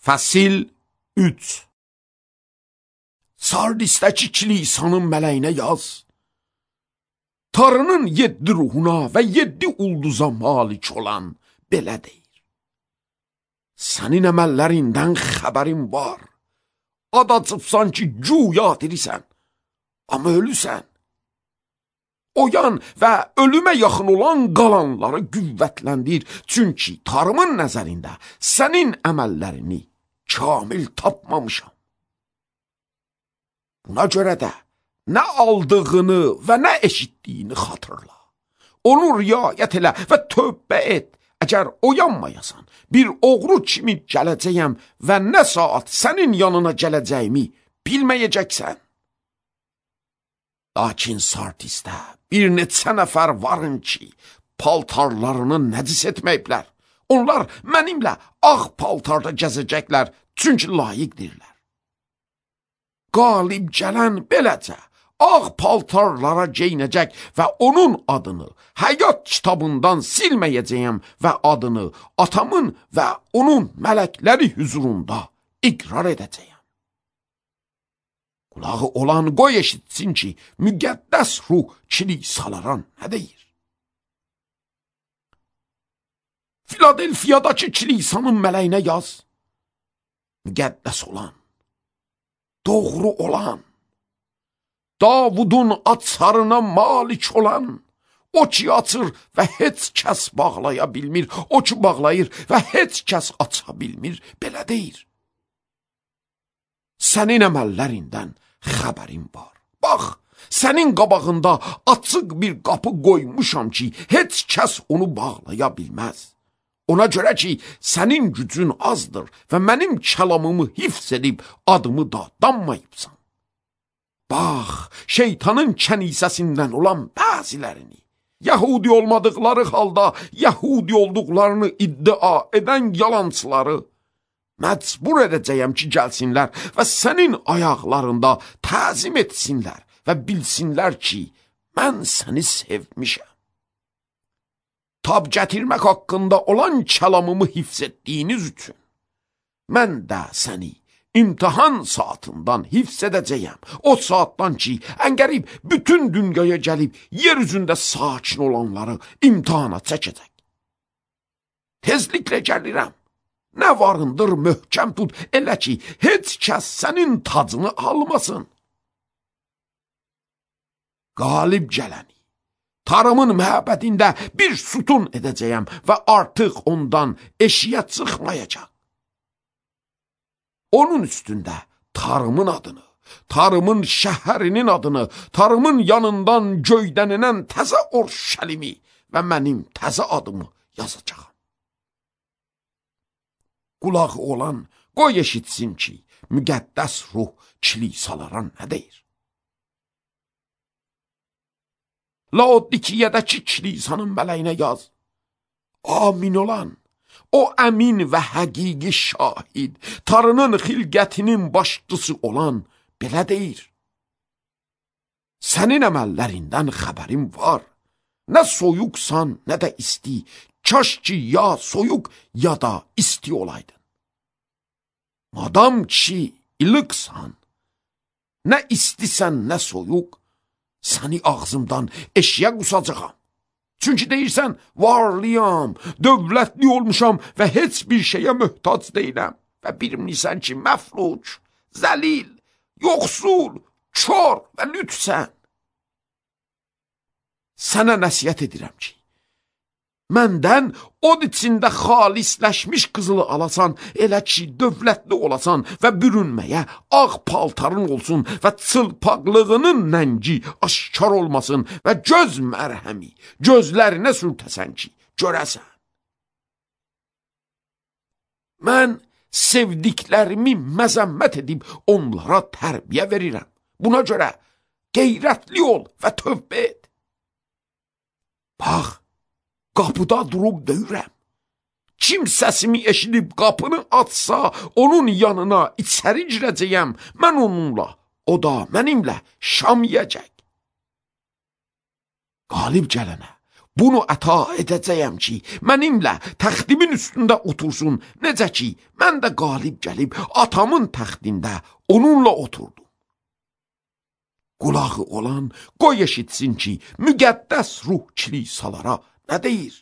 Fəsil 3. Sardisdəki kilisanın mələyinə yaz. Tanrının 7 ruhuna və 7 ulduza malik olan belə deyir. Sənin əməllərindən xəbərin var. Ad açıbsan ki, güya dirisən, amma ölüsən. Oyan və ölümə yaxın olan qalanları qüvvətləndir. Çünki Tanrının nəzərində sənin əməllərini kamil tapmamışam. Buna görə də nə aldığını və nə eşitdiyini xatırla. Onu riayət elə və tövbə et. Əgər oyanmayasan, bir oğru kimi gələcəyəm və nə saat sənin yanına gələcəyimi bilməyəcəksən. Lakin Sardisdə bir neçə nəfər varın ki, paltarlarını nəcis etməyiblər. Onlar mənimlə ağ paltarda gəzəcəklər, çünki layiqdirlər. Qalib gələn beləcə ağ paltarlara geyinəcək və onun adını həyat kitabından silməyəcəyəm və adını atamın və onun mələkləri hüzurunda iqrar edəcəyəm. Qulağı olan qoy eşitsin ki, müqəddəs ruh kilisalara nə deyir? Filadelfiyadakı kilisanın mələyinə yaz. Müqəddəs olan, doğru olan, Davudun açarına malik olan, o ki açır və heç kəs bağlaya bilmir, o ki bağlayır və heç kəs aça bilmir, belə deyir. Sənin əməllərindən xəbərim var. Bax, sənin qabağında açıq bir qapı qoymuşam ki, heç kəs onu bağlaya bilməz. Ona görə ki, sənin gücün azdır və mənim kəlamımı hifz edib adımı da danmayıbsan. Bax, şeytanın kənisəsindən olan bəzilərini, Yahudi olmadıqları halda Yahudi olduqlarını iddia edən yalancıları məcbur edəcəyəm ki, gəlsinlər və sənin ayaqlarında təzim etsinlər və bilsinlər ki, mən səni sevmişəm. Tab gətirmək haqqında olan kəlamımı hifz etdiyiniz üçün mən də səni İmtihan saatından hifz edəcəyəm. O saatdan ki, əngərib bütün dünyaya gəlib, yer üzündə sakin olanları imtihana çəkəcək. Tezliklə gəlirəm. Nə varındır möhkəm tut, elə ki, heç kəs sənin tacını almasın. Qalib gələni, Tanrımın məhəbbətində bir sütun edəcəyəm və artıq ondan eşiyə çıxmayacaq. Onun üstündə Tanrımın adını, Tanrımın şəhərinin adını, Tanrımın yanından göydənilən təzə Orşəlimi və mənim təzə adımı yazacağam. Qulağı olan qoy eşitsin ki, müqəddəs ruh kilisalara nə deyir? Laodikiyədəki kilisanın mələyinə yaz. Amin olan, o əmin və həqiqi şahid, Tanrının xilqətinin başçısı olan belə deyir. Sənin əməllərindən xəbərim var. Nə soyuqsan, nə də isti. Kaş ki, ya soyuq, ya da isti olaydın. Madam ki, ilıqsan, nə istisən, nə soyuq, səni ağzımdan eşiyə qusacağam. Çünki deyirsən, varlıyam, dövlətli olmuşam və heç bir şeyə möhtac deyiləm. Və bilmirsən ki, məfluc, zəlil, yoxsul, kör və lütsən. Sənə nəsiyyət edirəm ki, məndən od içində xalisləşmiş qızılı alasan, elə ki, dövlətli olasan və bürünməyə ağ paltarın olsun və çılpaqlığının nəngi aşkar olmasın və göz mərhəmi gözlərinə sürtəsən ki, görəsən. Mən sevdiklərimi məzəmmət edib onlara tərbiyə verirəm. Buna görə qeyrətli ol və tövbə et. Bax, qapıda durub döyürəm. Kim səsimi eşidib qapını açsa, onun yanına içəri girəcəyəm. Mən onunla, o da mənimlə şam yiyəcək. Qalib gələnə, bunu əta edəcəyəm ki, mənimlə təxtimin üstündə otursun, necə ki, mən də qalib gəlib atamın təxtində onunla oturdum. Qulağı olan qoy eşitsin ki, müqəddəs ruh kilisalara nə deyir?